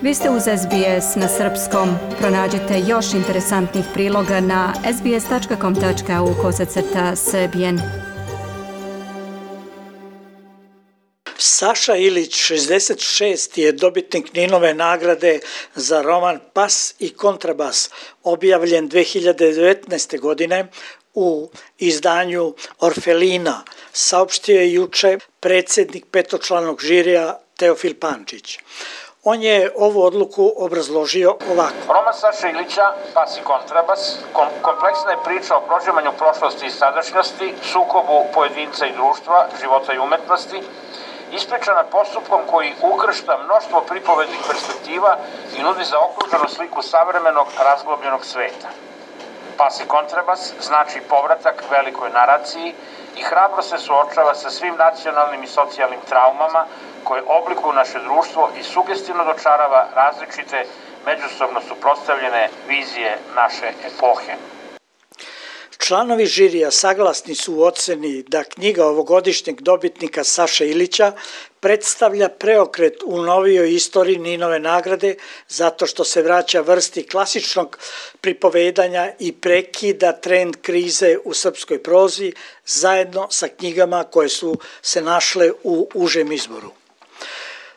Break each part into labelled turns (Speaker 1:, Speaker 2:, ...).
Speaker 1: Vi ste uz SBS na srpskom. Pronađite još interesantnih priloga na sbs.com.au/srbijen.
Speaker 2: Saša Ilić, 66, je dobitnik Ninove nagrade za roman Pas i kontrabas, objavljen 2019. godine u izdanju Orfelina, saopštio je juče predsjednik petočlanog žirija Teofil Pančić. On je ovu odluku obrazložio ovako.
Speaker 3: Roman Saše Ilića, Pas i kontrabas, kompleksna je priča o proživanju prošlosti i sadašnjosti, sukobu pojedinca i društva, života i umetnosti, ispričana postupkom koji ukršta mnoštvo pripovednih perspektiva i nudi zaokruženu sliku savremenog razglobljenog sveta. Pas i kontrabas znači povratak velikoj naraciji i hrabro se suočava sa svim nacionalnim i socijalnim traumama koje oblikuju naše društvo i sugestivno dočarava različite, međusobno suprotstavljene vizije naše epohe.
Speaker 2: Članovi žirija saglasni su u oceni da knjiga ovogodišnjeg dobitnika Saše Ilića predstavlja preokret u novijoj istoriji Ninove nagrade zato što se vraća vrsti klasičnog pripovedanja i prekida trend krize u srpskoj prozi zajedno sa knjigama koje su se našle u užem izboru.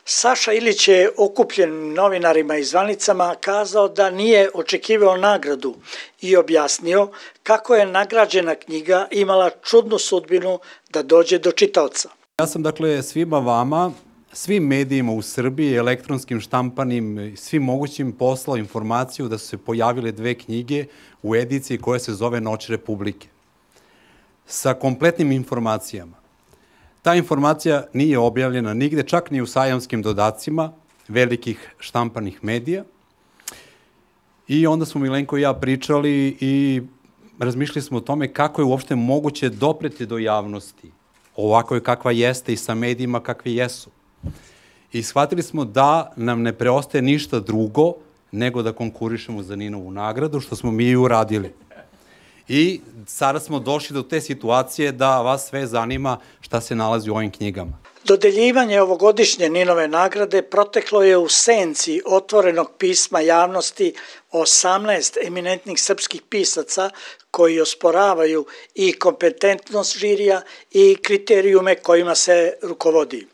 Speaker 2: Saša Ilić je okupljenim novinarima i zvanicama kazao da nije očekivao nagradu i objasnio kako je nagrađena knjiga imala čudnu sudbinu da dođe do čitaoca.
Speaker 4: Ja sam svima vama, svim medijima u Srbiji, elektronskim, štampanim, svim mogućim poslao informaciju da su se pojavile 2 knjige u ediciji koja se zove Noć Republike. Sa kompletnim informacijama. Ta informacija nije objavljena nigde, čak ni u sajamskim dodacima velikih štampanih medija. I onda smo Milenko i ja pričali i razmišljali smo o tome kako je uopšte moguće dopreti do javnosti, ovako je kakva jeste i sa medijima kakvi jesu. I shvatili smo da nam ne preostaje ništa drugo nego da konkurišemo za Ninovu nagradu, što smo mi i uradili. I sada smo došli do te situacije da vas sve zanima šta se nalazi u ovim knjigama.
Speaker 2: Dodeljivanje ovogodišnje Ninove nagrade proteklo je u senci otvorenog pisma javnosti 18 eminentnih srpskih pisaca koji osporavaju i kompetentnost žirija i kriterijume kojima se rukovodi.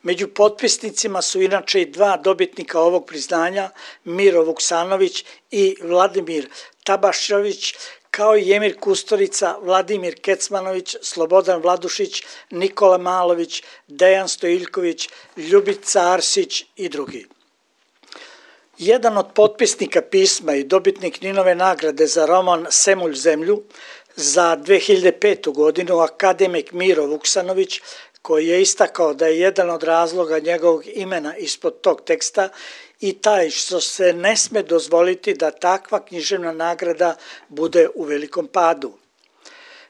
Speaker 2: Među potpisnicima su inače i 2 dobitnika ovog priznanja, Miro Vuksanović i Vladimir Tabašević, kao i Emir Kusturica, Vladimir Kecmanović, Slobodan Vladušić, Nikola Malović, Dejan Stojiljković, Ljubica Arsić i drugi. Jedan od potpisnika pisma i dobitnik Ninove nagrade za roman Semulj zemlju za 2005. godinu, akademik Miro Vuksanović, koji je istakao da je jedan od razloga njegovog imena ispod tog teksta i taj što se ne sme dozvoliti da takva književna nagrada bude u velikom padu.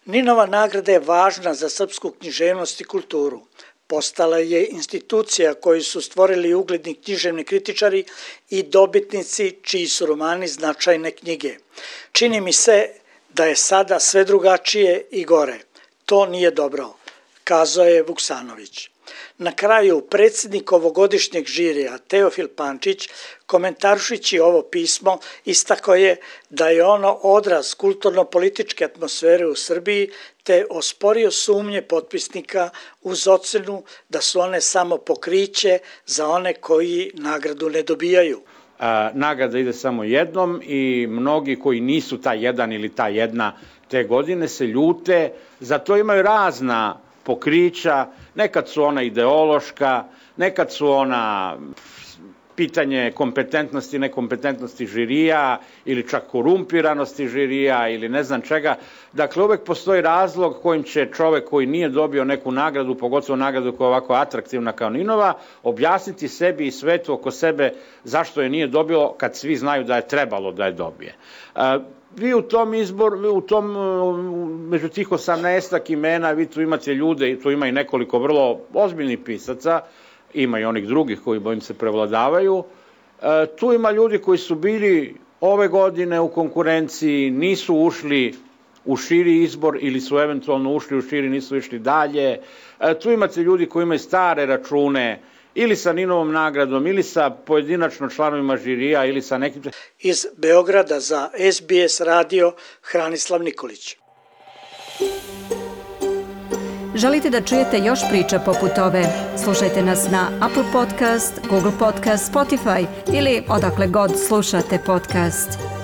Speaker 2: Ninova nagrada je važna za srpsku književnost i kulturu. Postala je institucija koju su stvorili ugledni književni kritičari i dobitnici čiji su romani značajne knjige. Čini mi se da je sada sve drugačije i gore. To nije dobro, kazao je Vuksanović. Na kraju, predsjednik ovogodišnjeg žirija Teofil Pančić, komentarušići ovo pismo, istakao je da je ono odraz kulturno-političke atmosfere u Srbiji, te osporio sumnje potpisnika uz ocenu da su one samo pokriće za one koji nagradu ne dobijaju.
Speaker 5: Nagrada ide samo jednom i mnogi koji nisu ta jedan ili ta jedna te godine se ljute, zato imaju razna pokrića, nekad su ona ideološka, nekad su ona pitanje kompetentnosti, nekompetentnosti žirija ili čak korumpiranosti žirija ili ne znam čega. Dakle, uvek postoji razlog kojim će čovek koji nije dobio neku nagradu, pogotovo nagradu koja je ovako atraktivna kao Ninova, objasniti sebi i svetu oko sebe zašto je nije dobio kad svi znaju da je trebalo da je dobije. Vi u tom među tih 18 imena, vi tu imate ljude, i tu ima i nekoliko vrlo ozbiljnih pisaca, ima i onih drugih koji, bojim se, prevladavaju. Tu ima ljudi koji su bili ove godine u konkurenciji, nisu ušli u širi izbor ili su eventualno ušli u širi, nisu išli dalje. Tu imate ljudi koji imaju stare račune ili sa Ninovom nagradom, ili sa pojedinačno članovima žirija, ili sa nekim...
Speaker 2: Iz Beograda za SBS radio Hranislav Nikolić.
Speaker 1: Želite da čujete još priča poput ove? Slušajte nas na Apple Podcast, Google Podcast, Spotify ili odakle god slušate podcast.